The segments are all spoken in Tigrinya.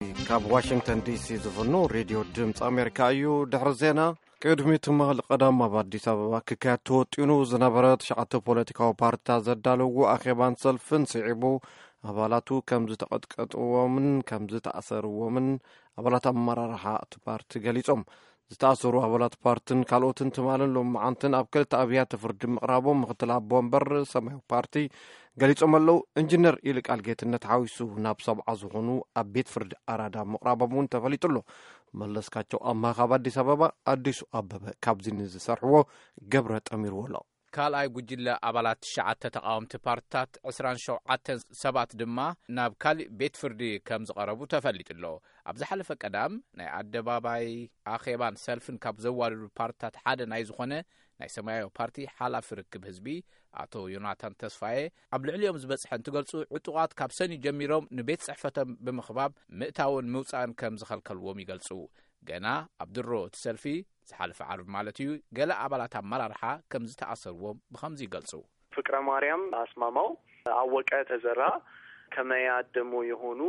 ካብ ዋሽንግተን ዲሲ ዝፍኖ ሬድዮ ድምፂ ኣሜሪካ እዩ። ድሕሪ ዜና፣ ቅድሚ ትማሊ ቀዳም ኣብ ኣዲስ ኣበባ ክካየድ ተወጢኑ ዝነበረ ትሽዓተ ፖለቲካዊ ፓርቲታት ዘዳለዎ ኣኼባን ሰልፍን ስዒቡ፣ ኣባላቱ ከም ዝተቐጥቀጥዎምን ከም ዝተኣሰርዎምን ኣባላት ኣመራርሓ እቲ ፓርቲ ገሊጾም። ዝተኣሰሩ ኣባላት ፓርትን ካልኦትን ትማልን ሎመዓንትን ኣብ ክልተ ኣብያተ ፍርዲ ምቕራቦም ምክትል ኣቦ ወንበር ሰማያዊ ፓርቲ ገሊጾም ኣለዉ። ኢንጂነር ይልቃል ጌትነት ሓዊሱ ናብ ሰብዓ ዝኾኑ ኣብ ቤት ፍርዲ ኣራዳ ምቕራቦም እውን ተፈሊጡ ኣሎ። መለስካቸው ኣምሃ ካብ ኣዲስ ኣበባ፣ ኣዲሱ ኣበበ ካብዚ ንዝሰርሕዎ ገብረ ጠሚርዎ ኣሎ። ካልኣይ ጉጅለ ኣባላት ትሽዓተ ተቓወምቲ ፓርትታት፣ ዕስራን ሸውዓተን ሰባት ድማ ናብ ካሊእ ቤት ፍርዲ ከም ዝቐረቡ ተፈሊጡ ኣሎ። ኣብ ዝሓለፈ ቀዳም ናይ ኣደባባይ ኣኼባን ሰልፍን ካብ ዘዋድዱ ፓርትታት ሓደ ናይ ዝኾነ ናይ ሰማያዊ ፓርቲ ሓላፊ ርክብ ህዝቢ ኣቶ ዮናታን ተስፋዬ፣ ኣብ ልዕሊኦም ዝበጽሐ እንትገልጹ፣ ዕጡቓት ካብ ሰኒ ጀሚሮም ንቤት ጽሕፈቶም ብምኽባብ ምእታውን ምውጻእን ከም ዝኸልከልዎም ይገልጹ። ገና ኣብ ድሮ እቲ ሰልፊ፣ ዝሓለፈ ዓርቢ ማለት እዩ፣ ገለ ኣባላት ኣመራርሓ ከም ዝተኣሰርዎም ብኸምዚ ይገልጹ። ፍቅረ ማርያም ኣስማማው፣ ኣወቀ ተዘራ፣ ከመያድ ደሞ የሆኑ፣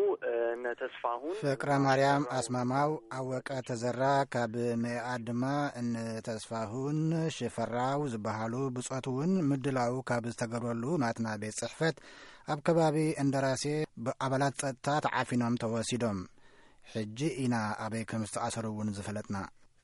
እነ ተስፋሁን ፍቅረ ማርያም ኣስማማው፣ ኣወቀ ተዘራ፣ ካብ መያድ ድማ እነ ተስፋሁን ሽፈራው ዝበሃሉ ብጾት እውን ምድላው ካብ ዝተገብረሉ ናትና ቤት ጽሕፈት ኣብ ከባቢ እንደራሴ ብኣባላት ጸጥታ ተዓፊኖም ተወሲዶም። ሕጂ ኢና ኣበይ ከም ዝተኣሰሩ እውን ዝፈለጥና።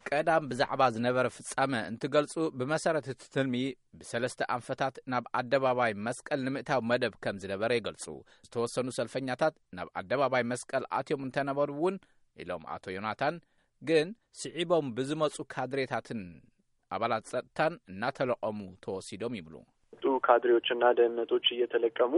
ቀዳም ብዛዕባ ዝነበረ ፍጻመ እንትገልጹ፣ ብመሰረት እቲ ትልሚ ብሰለስተ ኣንፈታት ናብ ኣደባባይ መስቀል ንምእታው መደብ ከም ዝነበረ ይገልጹ። ዝተወሰኑ ሰልፈኛታት ናብ ኣደባባይ መስቀል ኣትዮም እንተነበሩ እውን፣ ኢሎም ኣቶ ዮናታን፣ ግን ስዒቦም ብዝመጹ ካድሬታትን ኣባላት ጸጥታን እናተለቐሙ ተወሲዶም ይብሉ። ካድሬዎችና ደህንነቶች እየተለቀሙ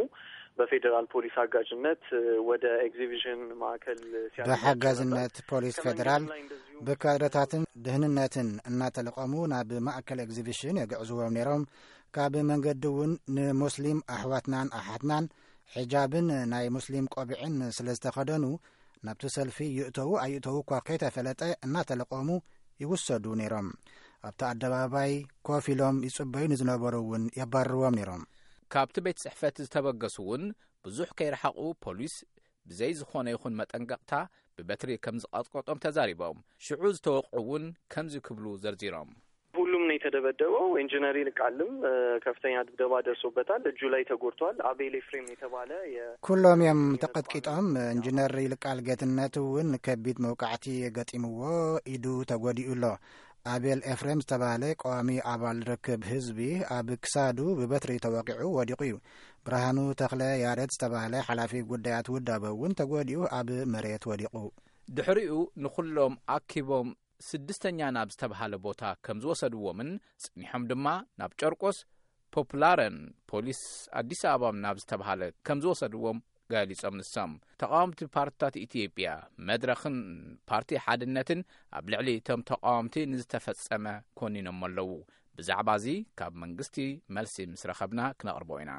በፌዴራል ፖሊስ አጋዥነት ወደ ኤግዚቢሽን ማዕከል ሲያደርጓቸው ነበር። ብሓጋዝነት ፖሊስ ከመንገድ ፌደራል ላይ እንደዚሁ ብካድረታትን ደህንነትን እናተለቐሙ ናብ ማእከል ኤግዚቢሽን የግዕዝዎም ነይሮም። ካብ መንገዲ እውን ንሙስሊም ኣሕዋትናን ኣሓትናን ሒጃብን ናይ ሙስሊም ቆቢዕን ስለ ዝተኸደኑ፣ ናብቲ ሰልፊ ይእተዉ ኣይእተዉ እኳ ከይተፈለጠ እናተለቐሙ ይውሰዱ ነይሮም። ኣብቲ ኣደባባይ ኮፍ ኢሎም ይጽበዩ ንዝነበሩ እውን የባርርዎም ነይሮም። ካብቲ ቤት ጽሕፈት ዝተበገሱ እውን ብዙሕ ከይረሓቑ ፖሊስ ብዘይ ዝኾነ ይኹን መጠንቀቕታ ብበትሪ ከም ዝቐጥቀጦም ተዛሪቦም። ሽዑ ዝተወቕዑ እውን ከምዚ ክብሉ ዘርዚሮም። ሁሉም ነው የተደበደበው። ኢንጂነር ይልቃልም፣ እ፣ ከፍተኛ ድብደባ ደርሶበታል። እጁ ላይ ተጎድቷል። አቤል ኤፍሬም የተባለ የ- ኩሎም እዮም ተቐጥቂጦም። ኢንጂነር ይልቃል ጌትነት እውን ከቢድ መውቃዕቲ ገጢምዎ፣ ኢዱ ተጎዲኡ ኣሎ። ኣቤል ኤፍሬም ዝተባህለ ቀዋሚ ኣባል ርክብ ህዝቢ ኣብ ክሳዱ ብበትሪ ተወቂዑ ወዲቑ እዩ። ብርሃኑ ተኽለ ያሬድ ዝተባህለ ሓላፊ ጉዳያት ውዳበ እውን ተጎዲኡ ኣብ መሬት ወዲቑ። ድሕሪኡ ንኹሎም ኣኪቦም ስድስተኛ ናብ ዝተባህለ ቦታ ከም ዝወሰድዎምን፣ ጸኒሖም ድማ ናብ ጨርቆስ ፖፕላረን ፖሊስ ኣዲስ ኣበባ ናብ ዝተባህለ ከም ዝወሰድዎም ገሊጾም። ንሶም፣ ተቃወምቲ ፓርቲታት ኢትዮጵያ፣ መድረኽን ፓርቲ ሓድነትን ኣብ ልዕሊ እቶም ተቃወምቲ ንዝተፈጸመ ኮኒኖም ኣለዉ። ብዛዕባ እዚ ካብ መንግስቲ መልሲ ምስ ረኸብና ክነቕርቦ ኢና።